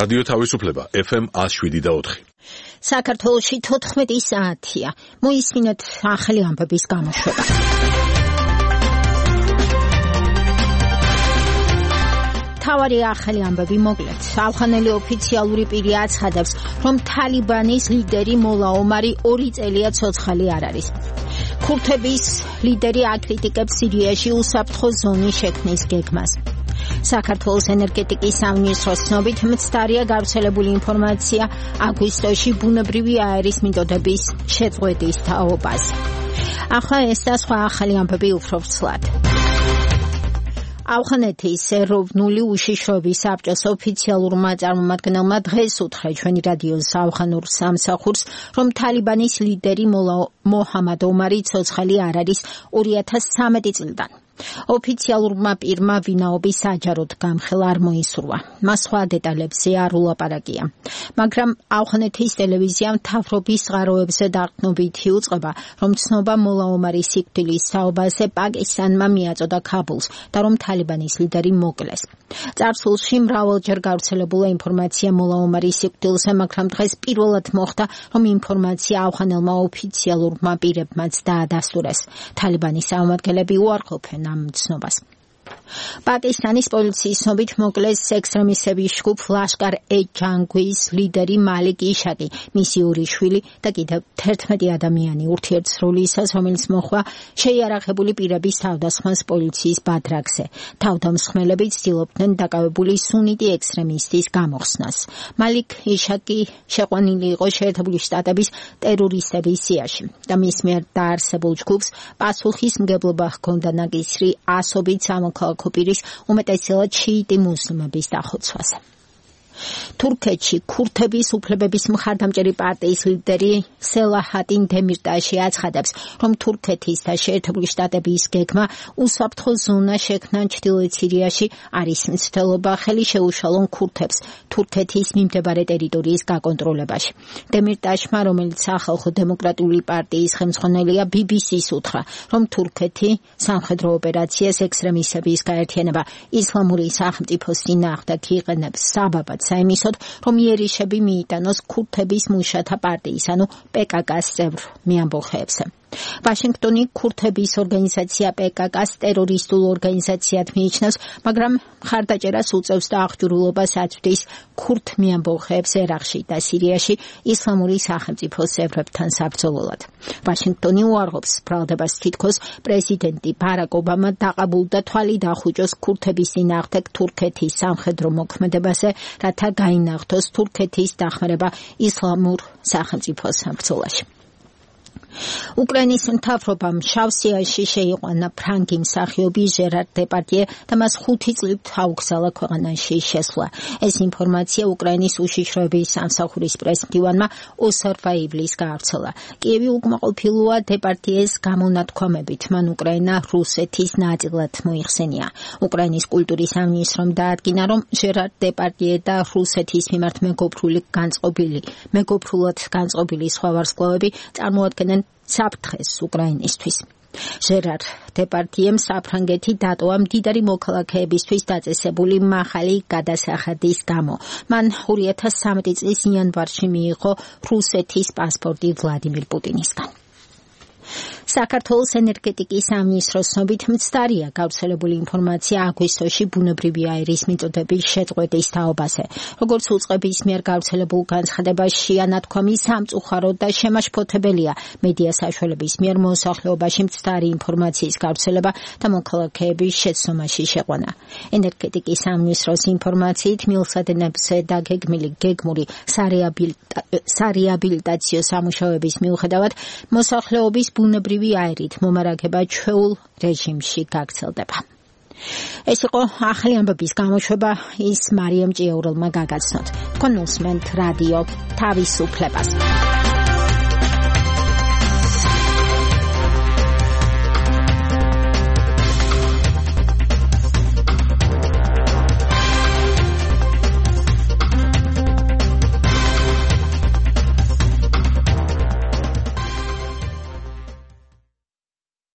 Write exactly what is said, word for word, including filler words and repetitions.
რადიო თავისუფლება ეფ ემ ათს შვიდი და ოთხი. საქართველოში თოთხმეტი საათია. მოისმინოთ ახალი ამბების გამოშვება. თავარი ახალი ამბები მოკლედ. ავღანელი ოფიციალური პირი აცხადებს, რომ თალიბანის ლიდერი მოლა ომარი ორი წელია ცოცხალი არ არის. ქურთების ლიდერი აკრიტიკებს სირიაში უსაფრთხო ზონის შექმნის გეგმას. საქართველოს ენერგეტიკის სამინისტროს ცნობით მცდარია გავრცელებული ინფორმაცია აგვისტოში ბუნებრივი აერის მიწოდების შეწყვეტის თაობაზე. ახლა ეს და სხვა ახალი ამბები უფრო ვრცლად. ავღანეთის ეროვნული უშიშროების საბჭოს ოფიციალურმა წარმომადგენელმა დღეს უთხრა ჩვენი რადიოს ავღანურ სამსახურს, რომ თალიბანის ლიდერი მოლა მოჰამად ომარი ცოცხალი არ არის ორი ათას სამეტი წლიდან. ოფიციალურმა პირმა ვინაობის საჯაროდ გამხელა არ მოისურვა. მას სხვა დეტალებზე არ ულაპარაკია. მაგრამ ავღანეთის ტელევიზიამ მთავრობის წყაროებზე დაყრდნობითი უწყება, რომ ცნობა მოლა ომარის სიკვდილის თაობაზე პაკისტანმა მიაწოდა ქაბულს და რომ თალიბანის ლიდერი მოკლეს. წარსულში მრავალჯერ გავრცელებულა ინფორმაცია მოლა ომარის სიკვდილზე, მაგრამ დღეს პირველად მოხდა, რომ ინფორმაცია ავღანელმა ოფიციალურმა პირებმაც დაადასტურეს. თალიბანის წარმომადგენლები უარყოფენ ამ ცნობას. პაკისტანის პოლიციის ცნობით მოკლეს ექსტრემისტების ჯგუფ ლაშკარ-ე-ჯანგვის ლიდერი მალიკ იშაკი, მისი ორი შვილი და კიდევ თერთმეტი ადამიანი ურთიერთსრულისას, რომელიც მოხდა შეიარაღებული პირების თავდასხმას პოლიციის ბადრაგზე. თავდამსხმელები ცდილობდნენ დაკავებული სუნიტი ექსტრემისტის გამოხსნას. მალიკ იშაკი შეყვანილი იყო შეერთებული შტატების ტერორისტების სიაში და მის მიერ დაარსებულ ჯგუფს პასუხისმგებლობა ჰქონდა ნაკისრი ასობით სამოქალაქო პირის უმეტესად შიიტი მუსლიმების დახოცვაზე. თურქეთში ქურთების უფლებების მხარდამჭერი პარტიის ლიდერი სელაჰატინ დემირტაში აცხადებს, რომ თურქეთის და შეერთებული შტატების გეგმა უსაფრთხო ზონა შექმნა ჩრდილოეთ სირიაში არის მცდელობა ხელი შეუშალონ ქურთებს თურქეთის მიმდებარე ტერიტორიის გაკონტროლებაში. დემირტაშმა, რომელიც სახალხო დემოკრატიული პარტიის ხელმძღვანელია, ბი ბი სის უთხრა, რომ თურქეთი სამხედრო ოპერაციას ექსტრემისტების გაერთიანება ისლამური სახელმწიფოს წინააღმდეგ იყენებს საბაბად საიმისოდ, რომ იერიშები მიიტანოს ქურთების მუშათა პარტიის, ანუ პე კა კას წევრ მეამბოხეებზე. ვაშინგტონი ქურთების ორგანიზაცია პე კა კას ტერორისტულ ორგანიზაციად მიიჩნევს, მაგრამ მხარდაჭერას უწევს და აღჭურვილობას აწვდის ქურთ მეამბოხეებს ერაყში და სირიაში ისლამური სახელმწიფოს წევრებთან საბრძოლველად. ვაშინგტონი უარყოფს ბრალდებას, თითქოს პრეზიდენტი ბარაკ ობამა დაყაბულდა თვალი დახუჭოს ქურთების წინააღმდეგ თურქეთის სამხედრო მოქმედებაზე, რათა გაინახდოს თურქეთის დახმარება ისლამურ სახელმწიფოს ბრძოლაში. უკრაინის მთავრობამ შავსიაში შეიყვანა ფრანგი მსახიობი ჟერარ დეპარდიე და მას ხუთი წლით აუგზავნა ქვეყანაში შესვლა. ეს ინფორმაცია უკრაინის უშიშროების სამსახურის პრესმდივანმა ოსარვა ივლის გაავრცელა. კიევი უკმაყოფილოა დეპარდიეს გამონათქვამებით, მან უკრაინა რუსეთის ნაწილად მოიხსენია. უკრაინის კულტურის სამინისტრომ დაადგინა, რომ ჟერარ დეპარდიე და რუსეთის მიმართ მეგობრული განწყობილი, მეგობრულად განწყობილი სხვა ვარსკვლავები წარმოადგენენ საფრთხეს უკრაინისთვის. ჟერარ დეპარდიემ საფრანგეთი დატოვა მდიდარი მოქალაქეებისთვის დაწესებული მაღალი გადასახადის გამო. მან ორი ათას სამეტი წლის იანვარში მიიღო რუსეთის პასპორტი ვლადიმირ პუტინისგან. საქართველოს ენერგეტიკის სამინისტროს ცნობით მცდარია გავრცელებული ინფორმაცია აგვისტოში ბუნებრივი აერის მიწოდების შეწყვეტის თაობაზე. როგორც უწყების მიერ გავრცელებულ განცხადებაში ანათქვამი სამწუხაროდ და შემაშფოთებელია მედია საშუალების მიერ მოსახლეობაში მცდარი ინფორმაციის გავრცელება და მოქალაქეების შეცდომაში შეყვანა. ენერგეტიკის სამინისტროს ინფორმაციით მილსადენებზე დაგეგმილი გეგმური სარეაბილიტაციო სამუშაოების მიუხედავად მოსახლეობის ბუნებრივი აერით მომარაგება ჩვეულ რეჟიმში გაგრძელდება. ეს იყო ახალი ამბების გამოშვება, ის მარიამ ჭიაურელმა გაგაცნოთ. თქვენ უსმენთ რადიო თავისუფლებას.